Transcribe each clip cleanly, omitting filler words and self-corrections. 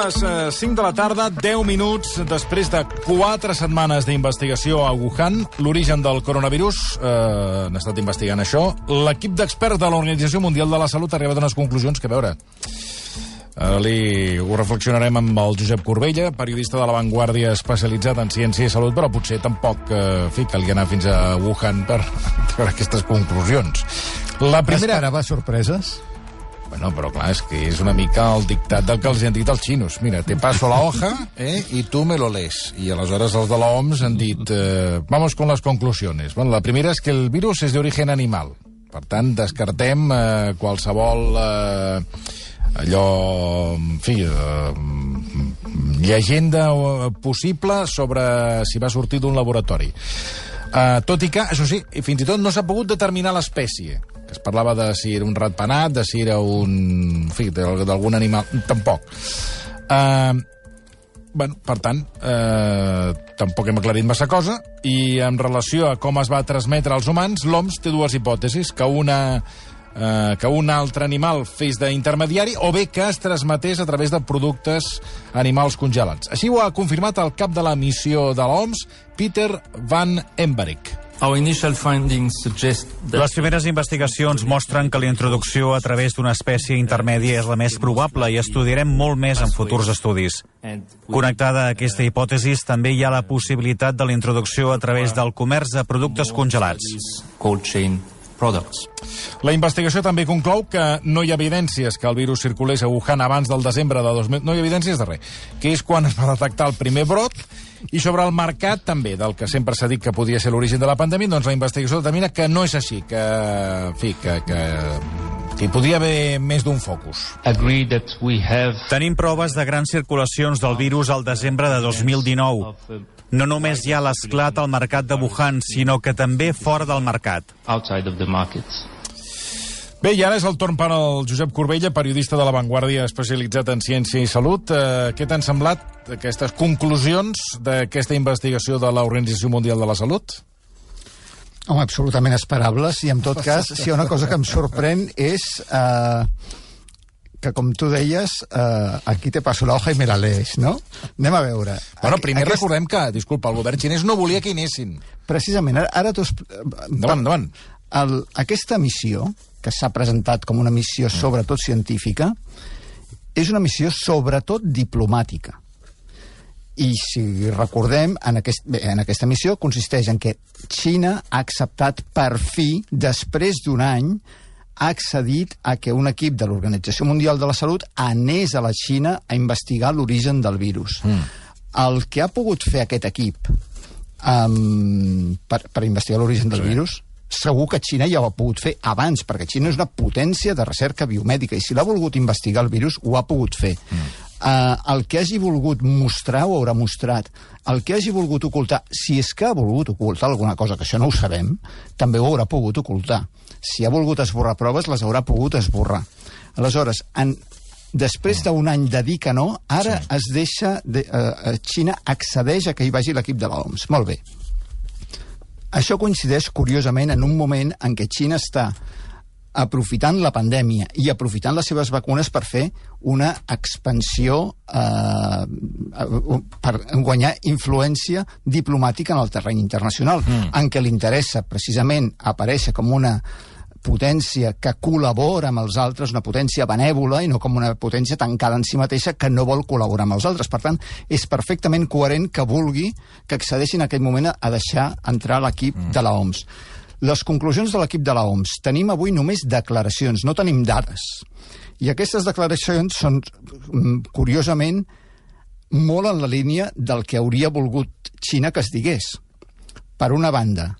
les 5 de la tarda, 10 minuts després de 4 setmanes d'investigació a Wuhan, l'origen del coronavirus, han estat investigant això. L'equip d'experts de l'Organització Mundial de la Salut ha arribat a unes conclusions que, a veure, ho reflexionarem amb el Josep Corbella, periodista de La Vanguardia especialitzat en ciència i salut, però potser tampoc calia anar fins a Wuhan per treure aquestes conclusions. La primera... Esperava sorpreses? Bueno, però clar, és que és una mica el dictat del que els han dit els xinos. Mira, te paso la hoja y tú me lo lees. I aleshores els de la OMS han dit vamos con las conclusiones. Bueno, la primera és que el virus és d'origen animal. Per tant, descartem qualsevol llegenda possible sobre si va sortir d'un laboratori. Tot i que, això sí, fins i tot no s'ha pogut determinar l'espècie. Es parlava de si era un ratpenat, de si era un... En fi, d'algun animal... Tampoc. Per tant, tampoc hem aclarit massa cosa, i en relació a com es va transmetre als humans, l'OMS té dues hipòtesis, que un altre animal fes d'intermediari o bé que es transmetés a través de productes animals congelats. Així ho ha confirmat el cap de la missió de l'OMS, Peter Van Embarek. Les primeres investigacions mostren que la introducció a través d'una espècie intermèdia és la més probable i estudiarem molt més en futurs estudis. Connectada a aquesta hipòtesi, també hi ha la possibilitat de la introducció a través del comerç de productes congelats. La investigació també conclou que no hi ha evidències que el virus circulés a Wuhan abans del desembre de 2000... No hi ha evidències de res, que és quan es va detectar el primer brot, i sobre el mercat també, del que sempre s'ha dit que podia ser l'origen de la pandèmia, doncs la investigació determina que no és així, que hi podria haver més d'un focus. Tenim proves de grans circulacions del virus al desembre de 2019. No només hi ha l'esclat al mercat de Wuhan, sinó que també fora del mercat. Bé, i ara és el torn per al Josep Corbella, periodista de La Vanguardia especialitzat en ciència i salut. Què t'han semblat aquestes conclusions d'aquesta investigació de l'Organització Mundial de la Salut? Home, absolutament esperables, i en tot cas, si hi ha una cosa que em sorprèn és que, com tu deies, aquí te paso la hoja i me la lees, no? Anem a veure. Bueno, primer recordem que, disculpa, el govern xinès no volia que hi anessin. Precisament, ara tu... Endavant. Aquesta missió, que s'ha presentat com una missió sobretot científica, és una missió sobretot diplomàtica. I si recordem, en aquesta missió consisteix en que Xina ha acceptat per fi, després d'un any, ha accedit a que un equip de l'Organització Mundial de la Salut anés a la Xina a investigar l'origen del virus. El que ha pogut fer aquest equip per investigar l'origen del virus, segur que Xina ja ho ha pogut fer abans, perquè Xina és una potència de recerca biomèdica, i si l'ha volgut investigar el virus, ho ha pogut fer. El que hagi volgut mostrar ho haurà mostrat. El que hagi volgut ocultar, si és que ha volgut ocultar alguna cosa, que això no ho sabem, també ho haurà pogut ocultar. Si ha volgut esborrar proves, les haurà pogut esborrar. Aleshores, després d'un any de dir que no, ara es deixa... Xina accedeix a que hi vagi l'equip de l'OMS. Molt bé. Això coincideix, curiosament, en un moment en què Xina està aprofitant la pandèmia i aprofitant les seves vacunes per fer una expansió, per guanyar influència diplomàtica en el terreny internacional, en què li interessa precisament aparèixer com una potència que col·labora amb els altres, una potència benèvola i no com una potència tancada en si mateixa que no vol col·laborar amb els altres. Per tant, és perfectament coherent que vulgui que accedeixin en aquell moment a deixar entrar l'equip de l'OMS. Les conclusions de l'equip de l'OMS. Tenim avui només declaracions, no tenim dades. I aquestes declaracions són, curiosament, molt en la línia del que hauria volgut Xina que es digués. Per una banda,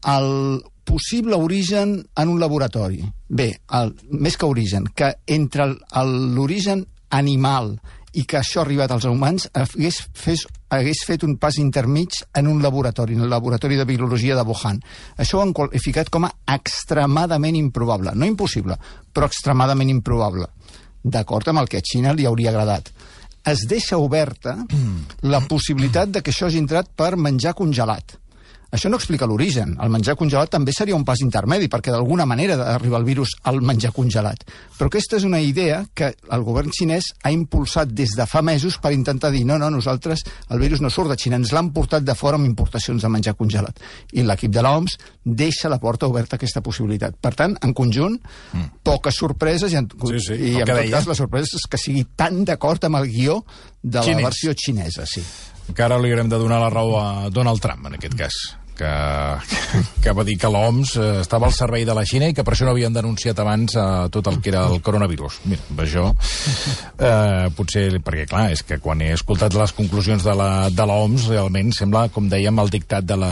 el possible origen en un laboratori. Bé, més que origen, que entre l'origen animal i que això ha arribat als humans hagués fet un pas intermig en un laboratori, en el laboratori de biologia de Wuhan. Això ho han qualificat com a extremadament improbable. No impossible, però extremadament improbable. D'acord amb el que a Xina li hauria agradat. Es deixa oberta la possibilitat de que això hagi entrat per menjar congelat. Això no explica l'origen. El menjar congelat també seria un pas intermedi, perquè d'alguna manera arriba el virus al menjar congelat. Però aquesta és una idea que el govern xinès ha impulsat des de fa mesos per intentar dir no, nosaltres, el virus no surt de Xina, ens l'han portat de fora amb importacions de menjar congelat. I l'equip de l'OMS deixa la porta oberta a aquesta possibilitat. Per tant, en conjunt, poques sorpreses, i en tot cas la sorpresa és que sigui tan d'acord amb el guió de la versió xinesa, sí. Encara li haurem de donar la raó a Donald Trump, en aquest cas, que va dir que l'OMS estava al servei de la Xina i que per això no havien denunciat abans tot el que era el coronavirus. Mira, això potser, perquè clar, és que quan he escoltat les conclusions de l'OMS realment sembla, com dèiem, el dictat del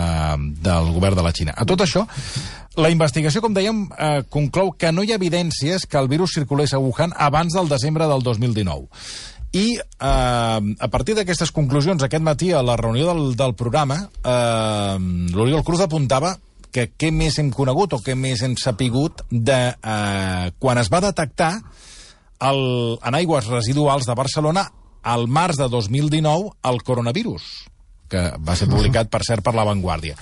govern de la Xina. A tot això, la investigació, com dèiem, conclou que no hi ha evidències que el virus circulés a Wuhan abans del desembre del 2019. I a partir d'aquestes conclusions, aquest matí, a la reunió del programa, l'Oriol Cruz apuntava que què més hem conegut o què més hem sapigut de quan es va detectar en aigües residuals de Barcelona al març de 2019 el coronavirus, que va ser publicat, per cert, per La Vanguardia.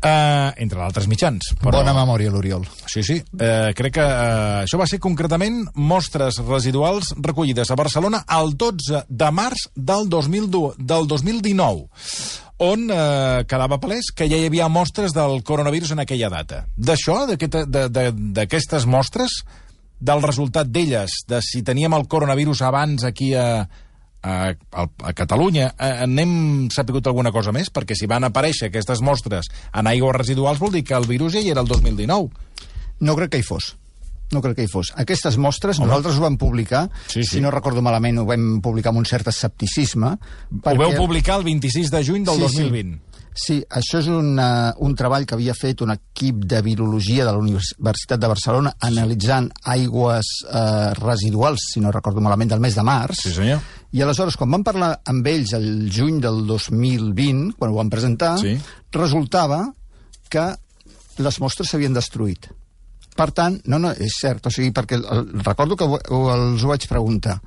Entre d'altres mitjans. Però... Bona memòria, l'Oriol. Sí. Crec que això va ser concretament mostres residuals recollides a Barcelona el 12 de març del 2019, on quedava palès que ja hi havia mostres del coronavirus en aquella data. D'això, d'aquestes mostres, del resultat d'elles, de si teníem el coronavirus abans aquí a Catalunya, n'hem sapigut alguna cosa més? Perquè si van aparèixer aquestes mostres en aigües residuals vol dir que el virus ja hi era el 2019. No crec que hi fos. Aquestes mostres nosaltres ho vam publicar, si no recordo malament ho vam publicar amb un cert escepticisme. Ho vau publicar el 26 de juny del 2020. Sí, això és un treball que havia fet un equip de virologia de la Universitat de Barcelona analitzant aigües residuals, si no recordo malament, del mes de març. Sí, senyor. I aleshores, quan vam parlar amb ells el juny del 2020, quan ho vam presentar, resultava que les mostres s'havien destruït. Per tant, no, és cert, o sigui, perquè recordo que els ho vaig preguntar.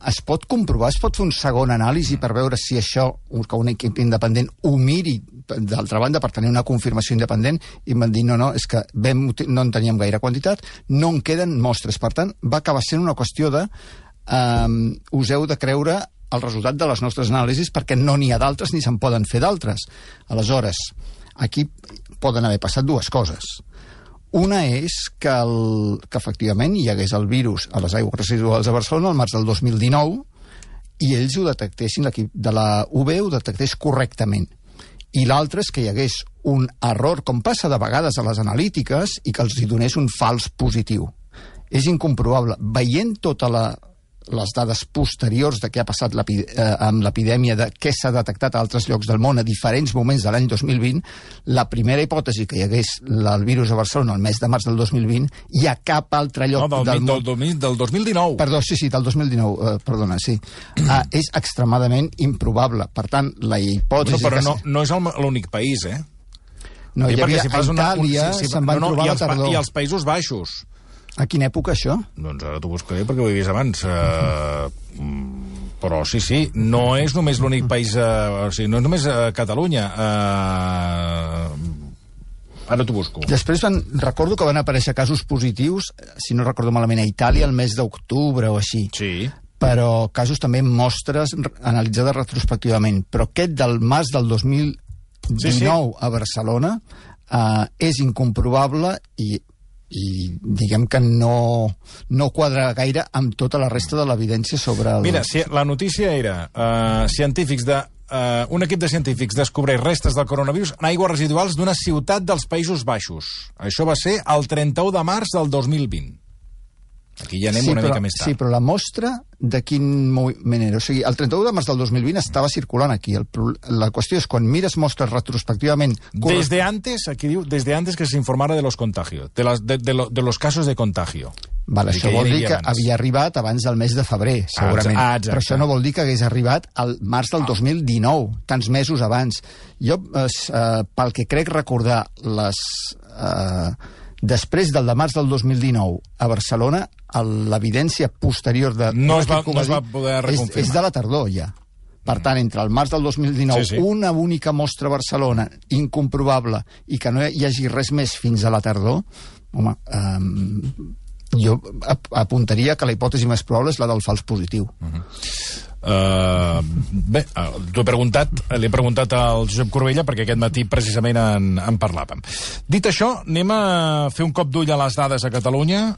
Es pot comprovar, es pot fer un segon anàlisi per veure si això, que un equip independent ho miri d'altra banda per tenir una confirmació independent, i em van dir no, és que no en teníem gaire quantitat, no en queden mostres. Per tant, va acabar sent una qüestió de us heu de creure el resultat de les nostres anàlisis perquè no n'hi ha d'altres ni se'n poden fer d'altres. Aleshores, aquí poden haver passat dues coses. Una és que efectivament hi hagués el virus a les aigües residuals de Barcelona al març del 2019 i ells ho detectessin, l'equip de la UB ho detectés correctament. I l'altre és que hi hagués un error, com passa de vegades a les analítiques, i que els hi donés un fals positiu. És incomprobable. Veient totes les dades posteriors de què ha passat amb l'epidèmia, de què s'ha detectat a altres llocs del món a diferents moments de l'any 2020, la primera hipòtesi que hi hagués el virus a Barcelona el mes de març del 2020 hi ha cap altre lloc del món... Del 2019. Perdó, sí, del 2019, perdona, sí. És extremadament improbable. Per tant, la hipòtesi... Però no és l'únic país, eh? No, hi havia a Itàlia, se'n van trobar a la tardor. I als Països Baixos. A quina època, això? Doncs ara t'ho buscaré perquè ho he vist abans. Però sí, no és només l'únic país... o sigui, no és només Catalunya. Ara t'ho busco. Després recordo que van aparèixer casos positius, si no recordo malament, a Itàlia el mes d'octubre o així. Sí. Però casos també amb mostres analitzades retrospectivament. Però aquest del març del 2019 a Barcelona és incomprobable i diguem que no quadra gaire amb tota la resta de l'evidència sobre... Mira, la notícia era un equip de científics descobreix restes del coronavirus en aigües residuals d'una ciutat dels Països Baixos. Això va ser el 31 de març del 2020. Aquí ja anem una mica més tard. Sí, però la mostra de quin moment era? O sigui, el 31 de març del 2020 estava circulant aquí. La qüestió és, quan mires mostres retrospectivament... Desde antes, aquí diu, desde antes que se informara de los contagios, de los casos de contagio. Vale, això vol dir que havia arribat abans del mes de febrer, segurament. Però això no vol dir que hagués arribat al març del 2019, tants mesos abans. Jo, pel que crec recordar, després del de març del 2019 a Barcelona, l'evidència posterior de... No es va poder reconfirmar. És de la tardor, ja. Per tant, entre el març del 2019, una única mostra a Barcelona, incomprobable, i que no hi hagi res més fins a la tardor, home, jo apuntaria que la hipòtesi més probable és la del fals positiu. Bé, li he preguntat al Josep Corbella perquè aquest matí precisament en parlàvem. Dit això, anem a fer un cop d'ull a les dades a Catalunya.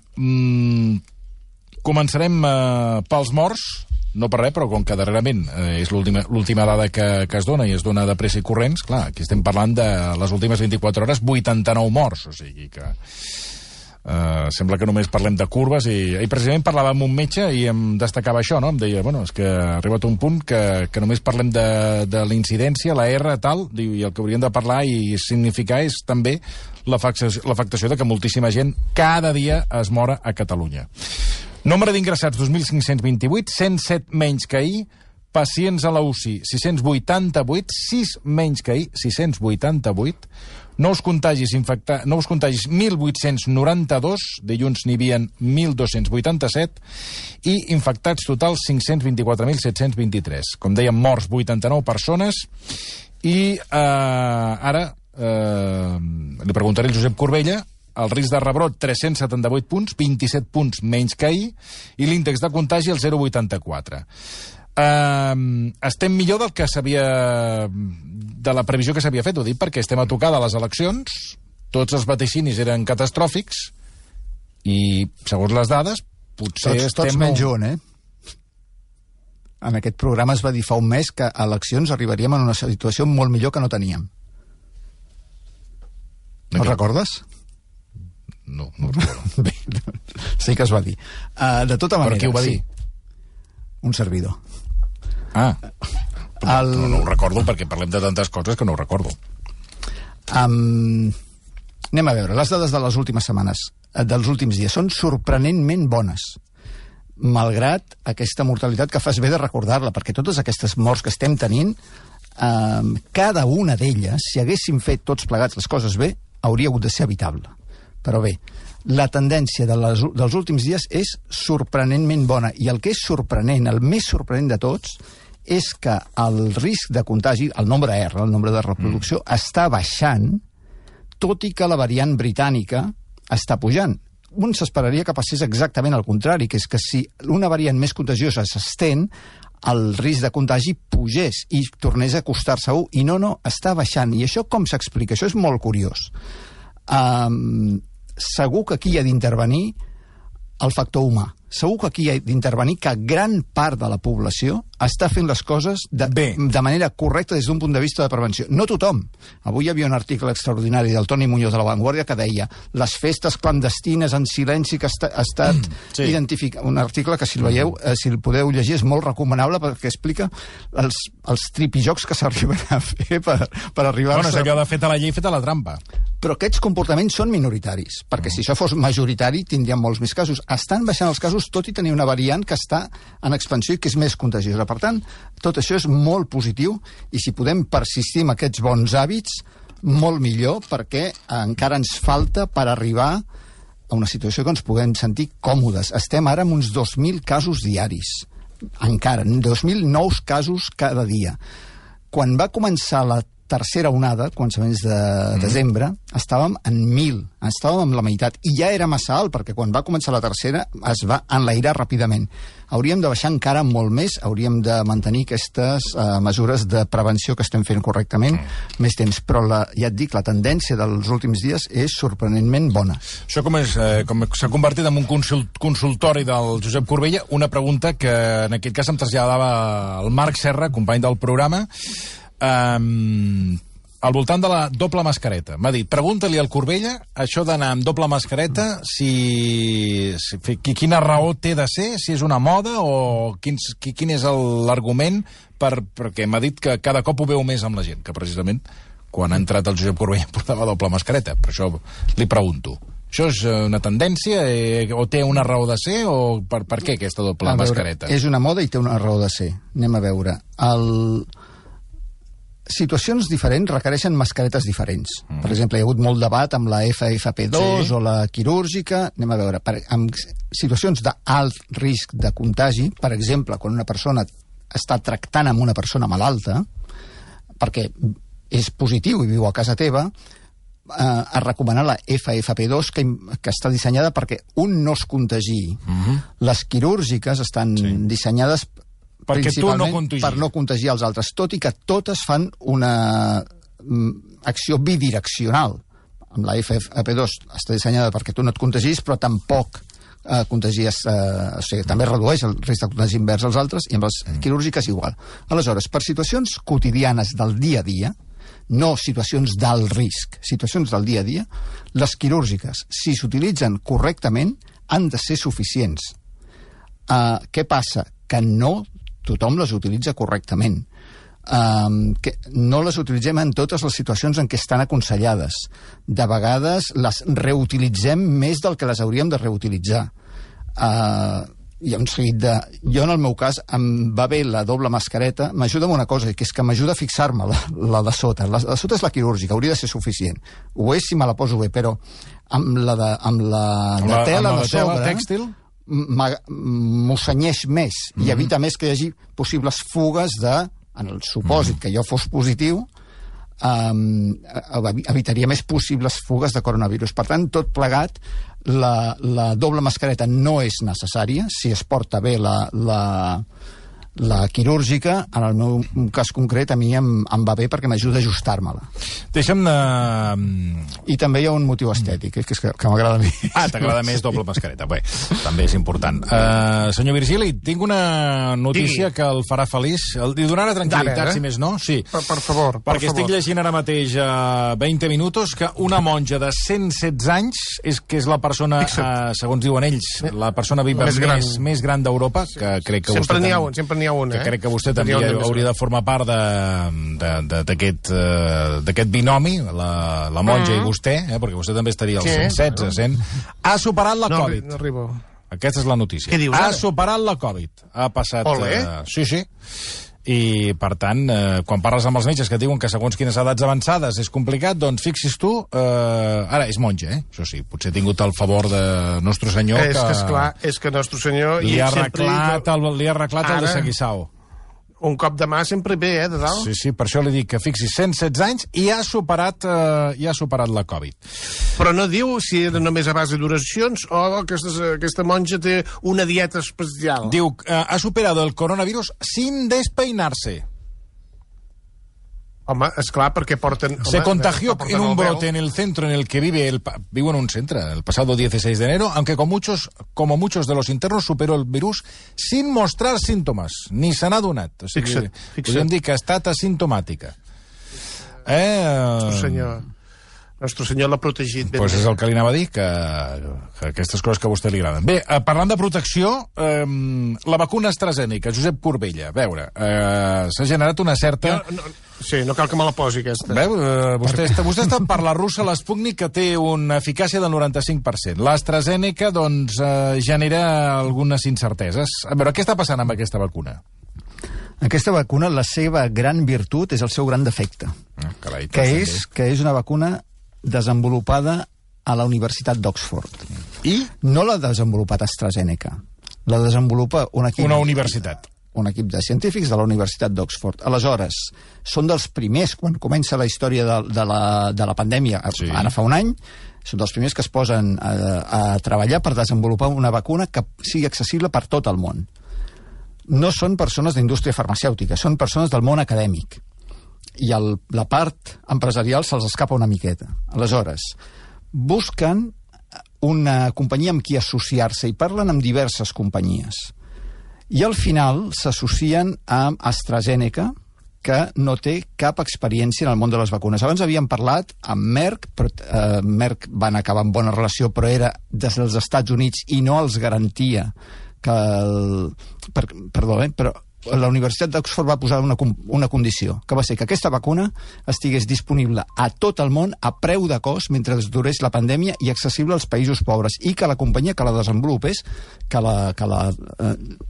Començarem pels morts, no per res, però com que darrerament és l'última dada que es dona i es dona de pressa i corrents, clar, aquí estem parlant de les últimes 24 hores, 89 morts, o sigui que sembla que només parlem de curves i precisament parlava amb un metge i em destacava això, no? Em deia, bueno, és que ha arribat un punt que només parlem de la incidència, la R, tal, i el que hauríem de parlar i significar és també l'afectació de que moltíssima gent cada dia es mora a Catalunya. Nombre d'ingressats 2.528, 107 menys que ahir, pacients a la UCI 688, 6 menys que ahir, 688, nous contagis 1.892, dilluns n'hi havia 1.287, i infectats totals 524.723. Com dèiem, morts 89 persones, i ara li preguntaré al Josep Corbella. El risc de rebrot, 378 punts, 27 punts menys que ahir, i l'índex de contagi, el 0,84. Estem millor del que de la previsió que s'havia fet, ho dic perquè estem a tocar de les eleccions, tots els vaticinis eren catàstròfics, i, segons les dades, potser tots menys un, En aquest programa es va dir fa un mes que a eleccions arribaríem en una situació molt millor que no teníem. No recordes? No recordo. Bé, sí que es va dir. De tota manera... Per qui ho va dir? Un servidor. No ho recordo perquè parlem de tantes coses que no ho recordo. Anem a veure, les dades de les últimes setmanes, dels últims dies, són sorprenentment bones, malgrat aquesta mortalitat que fas bé de recordar-la, perquè totes aquestes morts que estem tenint, cada una d'elles, si haguéssim fet tots plegats les coses bé, hauria hagut de ser evitable. Però bé, la tendència dels últims dies és sorprenentment bona, i el que és sorprenent, el més sorprenent de tots, és que el risc de contagi, el nombre R, el nombre de reproducció, està baixant, tot i que la variant britànica està pujant. Un s'esperaria que passés exactament al contrari, que és que si una variant més contagiosa s'estén, el risc de contagi pugés i tornés a acostar-se a 1, i no, està baixant. I això com s'explica? Això és molt curiós. Segur que aquí hi ha d'intervenir el factor humà. Segur que aquí hi ha d'intervenir que gran part de la població està fent les coses de manera correcta des d'un punt de vista de prevenció. No tothom. Avui hi havia un article extraordinari del Toni Muñoz de La Vanguardia que deia les festes clandestines en silenci que ha estat identificat. Un article que, si el veieu, si el podeu llegir, és molt recomanable perquè explica els tripijocs que s'arriben a fer per arribar-se... Bueno, és allò de feta la llei, feta la trampa. Però aquests comportaments són minoritaris, perquè si això fos majoritari tindríem molts més casos. Estan baixant els casos tot i tenir una variant que està en expansió i que és més contagiosa. Per tant, tot això és molt positiu, i si podem persistir en aquests bons hàbits, molt millor, perquè encara ens falta per arribar a una situació que ens puguem sentir còmodes. Estem ara amb uns 2.000 casos diaris. Encara, 2.000 nous casos cada dia. Quan va començar la tercera onada, començaments de desembre, estàvem en 1.000, estàvem amb la meitat, i ja era massa alt, perquè quan va començar la tercera es va enlairar ràpidament. Hauríem de baixar encara molt més, hauríem de mantenir aquestes mesures de prevenció que estem fent correctament més temps, però ja et dic, la tendència dels últims dies és sorprenentment bona. Això com s'ha convertit en un consultori del Josep Corbella, una pregunta que en aquest cas em traslladava el Marc Serra, company del programa, al voltant de la doble mascareta. M'ha dit, pregunta-li al Corbella això d'anar amb doble mascareta, quina raó té de ser, si és una moda o quin és l'argument, perquè m'ha dit que cada cop ho veu més amb la gent, que precisament quan ha entrat el Josep Corbella portava doble mascareta. Per això li pregunto. Això és una tendència o té una raó de ser, o per què aquesta doble mascareta? És una moda i té una raó de ser. Anem a veure. Situacions diferents requereixen mascaretes diferents. Per exemple, hi ha hagut molt debat amb la FFP2 o la quirúrgica. Anem a veure. En situacions d'alt risc de contagi, per exemple, quan una persona està tractant amb una persona malalta, perquè és positiu i viu a casa teva, a recomanar la FFP2, que està dissenyada perquè un no es contagi. Les quirúrgiques estan dissenyades principalment per no contagiar els altres, tot i que totes fan una acció bidireccional. Amb la FFP2 està dissenyada perquè tu no et contagis, però tampoc contagies, o sigui, també redueix el risc de contagi invers als altres, i amb les quirúrgiques igual. Aleshores, per situacions quotidianes del dia a dia, no situacions d'alt risc, situacions del dia a dia, les quirúrgiques, si s'utilitzen correctament, han de ser suficients. Què passa? Que no tothom les utilitza correctament. Que no les utilitzem en totes les situacions en què estan aconsellades. De vegades les reutilitzem més del que les hauríem de reutilitzar. Hi ha un seguit de... Jo, en el meu cas, em va bé la doble mascareta, m'ajuda amb una cosa, que és que m'ajuda a fixar-me la de sota. La de sota és la quirúrgica, hauria de ser suficient. Ho és si me la poso bé, però amb la de tela de sobre... tèxtil? M'ho cenyeix més i evita més que hi hagi possibles fugues de... En el supòsit que jo fos positiu, evitaria més possibles fugues de coronavirus. Per tant, tot plegat, la doble mascareta no és necessària. Si es porta bé la quirúrgica, en el meu cas concret, a mi em va bé perquè m'ajuda a ajustar-me-la. Deixa'm de... I també hi ha un motiu estètic, que m'agrada a mi. T'agrada més doble mascareta. Bé, també és important. Senyor Virgili, tinc una notícia que el farà feliç. Li donarà tranquil·litat, si més no? Sí. Per favor. Perquè estic llegint ara mateix a 20 minuts que una monja de 116 anys, que és la persona, segons diuen ells, la persona viva més gran d'Europa, que crec que sempre n'hi ha un, sempre n'hi ha una, que crec que vostè també hauria de formar part d'aquest binomi, la monja i vostè, perquè vostè també estaria als 116, 100. Ha superat la Covid. No arribo. Aquesta és la notícia. Què dius ha ara? Superat la Covid. Ha passat... Sí. I, per tant, quan parles amb els metges que et diuen que segons quines edats avançades és complicat, doncs fixis tu, ara és monja, això sí, potser ha tingut el favor de Nostre Senyor és que Nostre Senyor li ha arreglat el de Seguissao. Un cop de mà sempre bé, de dalt. Sí, per això li dic que fixis 116 anys i ha superat la Covid. Però no diu si era només a base d'oracions o aquesta monja té una dieta especial. Diu, ha superat el coronavirus sin despeinarse. Home, esclar, perquè porten... Se contagió en un brote en el centro en el que vive en un centro el pasado 16 de enero, aunque como muchos de los internos superó el virus sin mostrar síntomas, ni se n'ha donat. O sigui, podríem dir que ha estat asimptomàtica. Nostre Senyor l'ha protegit. Doncs és el que li anava a dir, que aquestes coses que a vostè li agraden. Bé, parlant de protecció, la vacuna AstraZeneca, Josep Corbella, a veure, s'ha generat una certa... Sí, no cal que me la posi, aquesta. Veu, vostè està per la russa, l'Sputnik, que té una eficàcia del 95%. L'AstraZeneca, doncs, genera algunes incerteses. A veure, què està passant amb aquesta vacuna? Aquesta vacuna, la seva gran virtut és el seu gran defecte, que és una vacuna desenvolupada a la Universitat d'Oxford. I? No l'ha desenvolupat AstraZeneca, la desenvolupa un equip... Una universitat. Un equip de científics de la Universitat d'Oxford. Aleshores, són dels primers, quan comença la història de la pandèmia, ara fa un any, són dels primers que es posen a treballar per desenvolupar una vacuna que sigui accessible per tot el món. No són persones d'indústria farmacèutica, són persones del món acadèmic. I la part empresarial se'ls escapa una miqueta. Aleshores, busquen una companyia amb qui associar-se i parlen amb diverses companyies. I al final s'associen amb AstraZeneca, que no té cap experiència en el món de les vacunes. Abans havíem parlat amb Merck, però Merck van acabar en bona relació, però era des dels Estats Units i no els garantia que... però la Universitat d'Oxford va posar una condició, que va ser que aquesta vacuna estigués disponible a tot el món a preu de cost mentre durés la pandèmia i accessible als països pobres, i que la companyia que la desenvolupés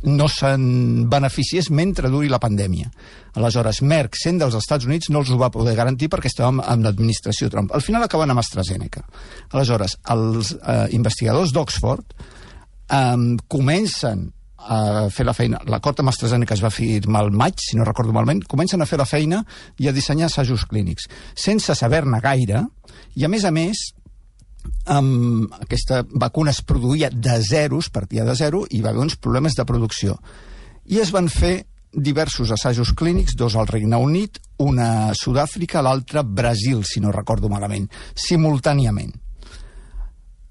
no se'n beneficiés mentre duri la pandèmia. Aleshores, Merck, sent dels Estats Units, no els ho va poder garantir perquè estàvem amb l'administració Trump. Al final acaben amb AstraZeneca. Aleshores, els investigadors d'Oxford comencen a fer la feina. L'acord amb AstraZeneca es va firmar al maig, si no recordo malament, comencen a fer la feina i a dissenyar assajos clínics, sense saber-ne gaire, i a més, aquesta vacuna es produïa de zeros, partia de zero, i va haver uns problemes de producció. I es van fer diversos assajos clínics, 2 al Regne Unit, una a Sud-àfrica, l'altra a Brasil, si no recordo malament, simultàniament.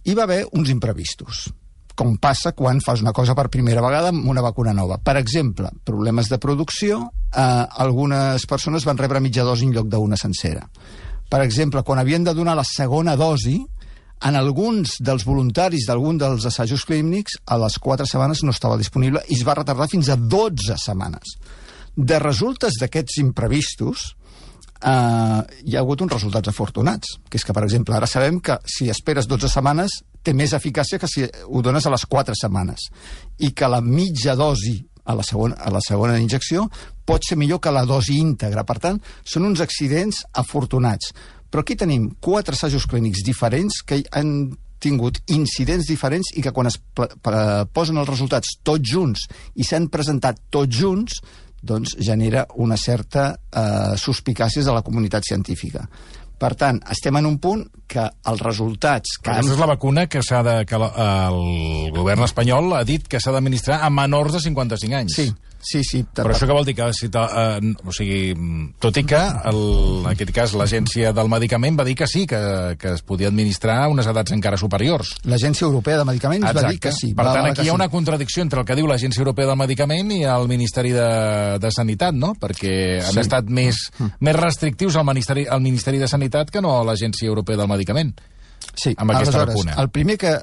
Hi va haver uns imprevistos, com passa quan fas una cosa per primera vegada amb una vacuna nova. Per exemple, problemes de producció, algunes persones van rebre mitja dosi en lloc d'una sencera. Per exemple, quan havien de donar la segona dosi, en alguns dels voluntaris d'algun dels assajos clínics, a les 4 setmanes no estava disponible i es va retardar fins a 12 setmanes. De resultes d'aquests imprevistos, hi ha hagut uns resultats afortunats, que és que, per exemple, ara sabem que si esperes 12 setmanes té més eficàcia que si ho dones a les 4 setmanes, i que la mitja dosi a la segona injecció pot ser millor que la dosi íntegra. Per tant, són uns accidents afortunats. Però aquí tenim 4 assajos clínics diferents que han tingut incidents diferents i que quan es posen els resultats tots junts i s'han presentat tots junts, doncs genera una certa suspicàcies de la comunitat científica. Per tant, estem en un punt que els resultats... Aquesta és la vacuna que el govern espanyol ha dit que s'ha d'administrar a menors de 55 anys. Sí. Però això què vol dir? Tot i que, en aquest cas, l'Agència del Medicament va dir que sí, que es podia administrar a unes edats encara superiors. L'Agència Europea de Medicaments va dir que sí. Per tant, aquí hi ha una contradicció entre el que diu l'Agència Europea del Medicament i el Ministeri de Sanitat, no? Perquè han estat més restrictius al Ministeri de Sanitat que no a l'Agència Europea del Medicament. Sí, amb aquesta vacuna. El primer que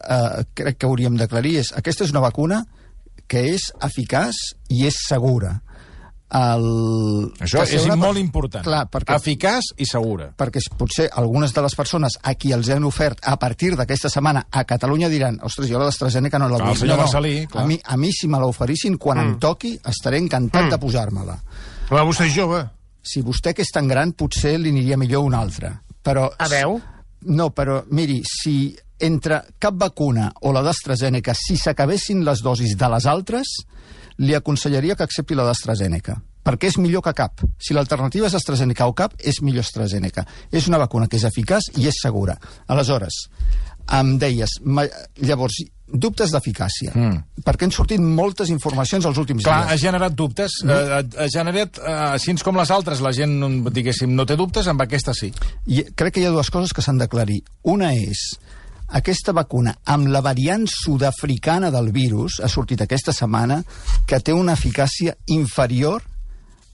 crec que hauríem d'aclarir és aquesta és una vacuna que és eficaç i és segura. Això és molt important. Clar, eficaç i segura. Perquè potser algunes de les persones a qui els han ofert a partir d'aquesta setmana a Catalunya diran, ostres, jo la d'AstraZeneca no la vull. El senyor Marcelí, clar. A mi si me l'oferissin, quan em toqui, estaré encantat de posar-me-la. Però vostè és jove. Si vostè que és tan gran, potser li aniria millor una altra. Però... A veu? No, però miri, si entre cap vacuna o la d'AstraZeneca, si s'acabessin les dosis de les altres, li aconsellaria que accepti la d'AstraZeneca, perquè és millor que cap. Si l'alternativa és AstraZeneca o cap, és millor AstraZeneca. És una vacuna que és eficaç i és segura. Aleshores, em deies, llavors, dubtes d'eficàcia, perquè han sortit moltes informacions els últims dies. Clar, ha generat dubtes, ha generat, així com les altres, la gent, diguéssim, no té dubtes, amb aquesta sí. I crec que hi ha dues coses que s'han d'aclarir. Una és, aquesta vacuna, amb la variant sud-africana del virus, ha sortit aquesta setmana, que té una eficàcia inferior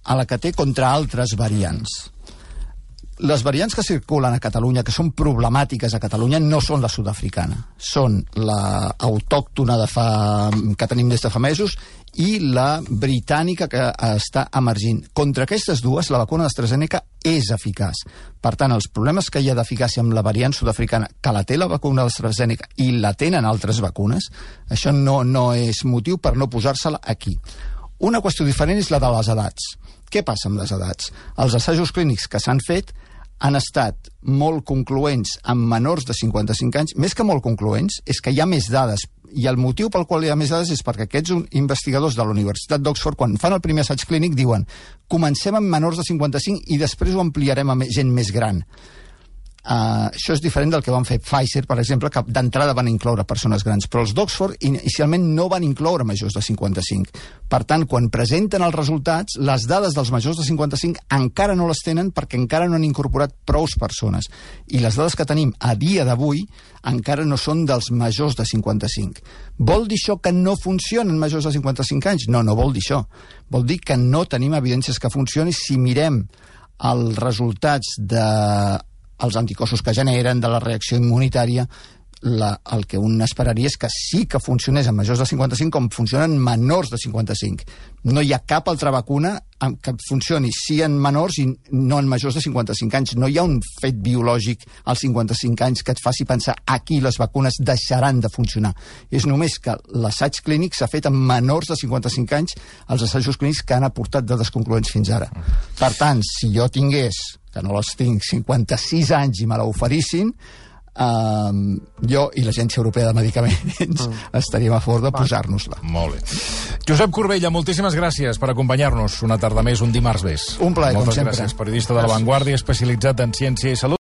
a la que té contra altres variants. Les variants que circulen a Catalunya, que són problemàtiques a Catalunya, no són la sud-africana. Són la autòctona que tenim des de fa mesos i la britànica que està emergint. Contra aquestes dues, la vacuna d'AstraZeneca és eficaç. Per tant, els problemes que hi ha d'eficàcia amb la variant sud-africana, que la té la vacuna d'AstraZeneca i la tenen altres vacunes, això no és motiu per no posar-se-la aquí. Una qüestió diferent és la de les edats. Què passa amb les edats? Els assajos clínics que s'han fet han estat molt concloents amb menors de 55 anys. Més que molt concloents, és que hi ha més dades. I el motiu pel qual hi ha més dades és perquè aquests investigadors de la Universitat d'Oxford, quan fan el primer assaig clínic, diuen comencem amb menors de 55 i després ho ampliarem a gent més gran. Això és diferent del que van fer Pfizer, per exemple, que d'entrada van incloure persones grans, però els d'Oxford inicialment no van incloure majors de 55. Per tant, quan presenten els resultats, les dades dels majors de 55 encara no les tenen perquè encara no han incorporat prous persones. I les dades que tenim a dia d'avui encara no són dels majors de 55. Vol dir això que no funcionen majors de 55 anys? No, no vol dir això. Vol dir que no tenim evidències que funcioni. Si mirem els resultats els anticossos que generen, de la reacció immunitària, el que un esperaria és que sí que funcionés en majors de 55 com funcionen menors de 55. No hi ha cap altra vacuna que funcioni sí en menors i no en majors de 55 anys. No hi ha un fet biològic als 55 anys que et faci pensar aquí les vacunes deixaran de funcionar. És només que l'assaig clínic s'ha fet en menors de 55 anys, els assajos clínics que han aportat dades concloents fins ara. Per tant, si jo tingués, que no les tinc, 56 anys i me l'oferissin, jo i l'Agència Europea de Medicaments estaríem a favor de posar-nos-la. Molt bé. Josep Corbella, moltíssimes gràcies per acompanyar-nos una tarda més, un dimarts més. Un plaer, com sempre. sempre. Moltes gràcies, periodista de La Vanguardia, especialitzat en ciència i salut.